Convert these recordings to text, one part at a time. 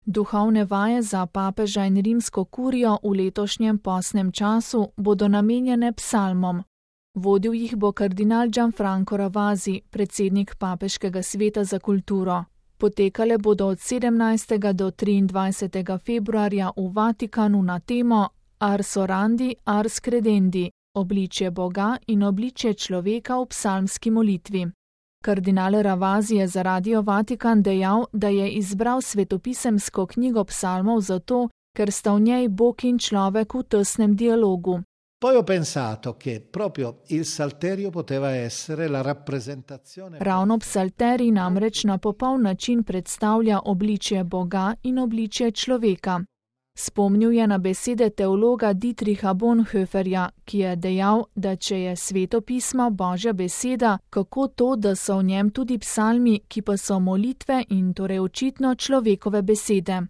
Duhovne vaje za papeža in rimsko kurijo v letošnjem postnem času bodo namenjene psalmom. Vodil jih bo kardinal Gianfranco Ravasi, predsednik Papeškega sveta za kulturo. Potekale bodo od 17. do 23. februarja v Vatikanu na temo Ars orandi, ars credendi, obličje Boga in obličje človeka v psalmski molitvi. Kardinal Ravasi je za Radio Vatikan dejal, da je izbral svetopisemsko knjigo psalmov zato, ker sta v njej Bog in človek v tesnem dialogu. Poi ho pensato che proprio il Salterio poteva essere la rappresentazione. Ravno psalterij namreč na popoln način predstavlja obličje Boga in obličje človeka. Spomnil je na besede teologa Dietricha Bonhoefferja, ki je dejal, da če je Sveto pismo Božja beseda, kako to, da so v njem tudi psalmi, ki pa so molitve in torej očitno človekove besede.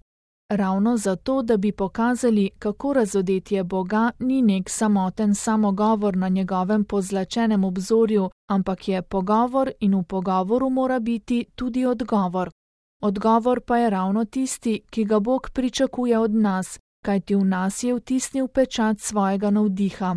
Ravno zato, da bi pokazali, kako razodetje Boga ni nek samoten samogovor na njegovem pozlačenem obzorju, ampak je pogovor in v pogovoru mora biti tudi odgovor. Odgovor pa je ravno tisti, ki ga Bog pričakuje od nas, kajti v nas je vtisnil pečat svojega navdiha.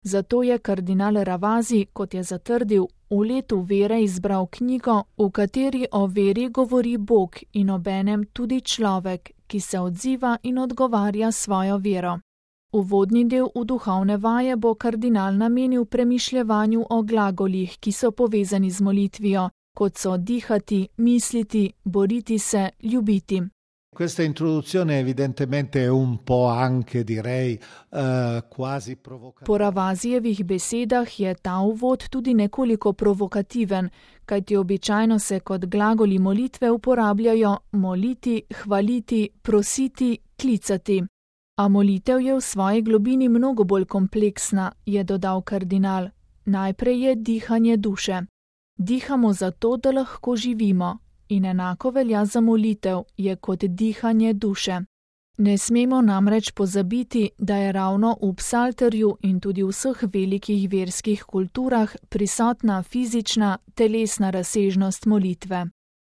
Zato je kardinal Ravasi, kot je zatrdil, v letu vere izbral knjigo, v kateri o veri govori Bog in obenem tudi človek, ki se odziva in odgovarja svojo vero. Uvodni del v duhovne vaje bo kardinal namenil premišljevanju o glagolih, ki so povezani z molitvijo, kot so dihati, misliti, boriti se, ljubiti. Questa introduzione evidentemente è un po' anche, direi, quasi provocativa. Po Ravasijevih besedah je ta uvod tudi nekoliko provokativen, kajti običajno se kot glagoli molitve uporabljajo moliti, hvaliti, prositi, klicati. A molitev je v svoji globini mnogo bolj kompleksna, je dodal kardinal. Najprej je dihanje duše. Dihamo zato, da lahko živimo. In enako velja za molitev, je kot dihanje duše. Ne smemo namreč pozabiti, da je ravno v psalterju in tudi v vseh velikih verskih kulturah prisotna fizična, telesna razsežnost molitve.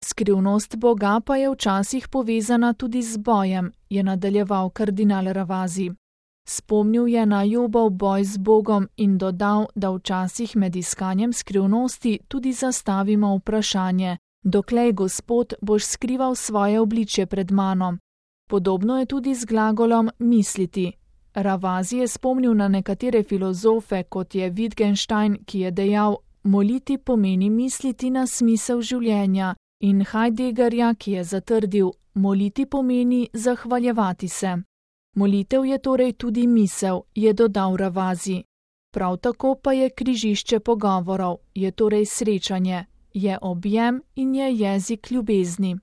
Skrivnost Boga pa je včasih povezana tudi z bojem, je nadaljeval kardinal Ravasi. Spomnil je na Jobov boj z Bogom in dodal, da včasih med iskanjem skrivnosti tudi zastavimo vprašanje: Doklej, Gospod, boš skrival svoje obličje pred mano. Podobno je tudi z glagolom misliti. Ravasi je spomnil na nekatere filozofe, kot je Wittgenstein, ki je dejal: moliti pomeni misliti na smisel življenja, in Heideggerja, ki je zatrdil: moliti pomeni zahvaljevati se. Molitev je torej tudi misel, je dodal Ravasi. Prav tako pa je križišče pogovorov, je torej srečanje. Je objem in je jezik ljubezni.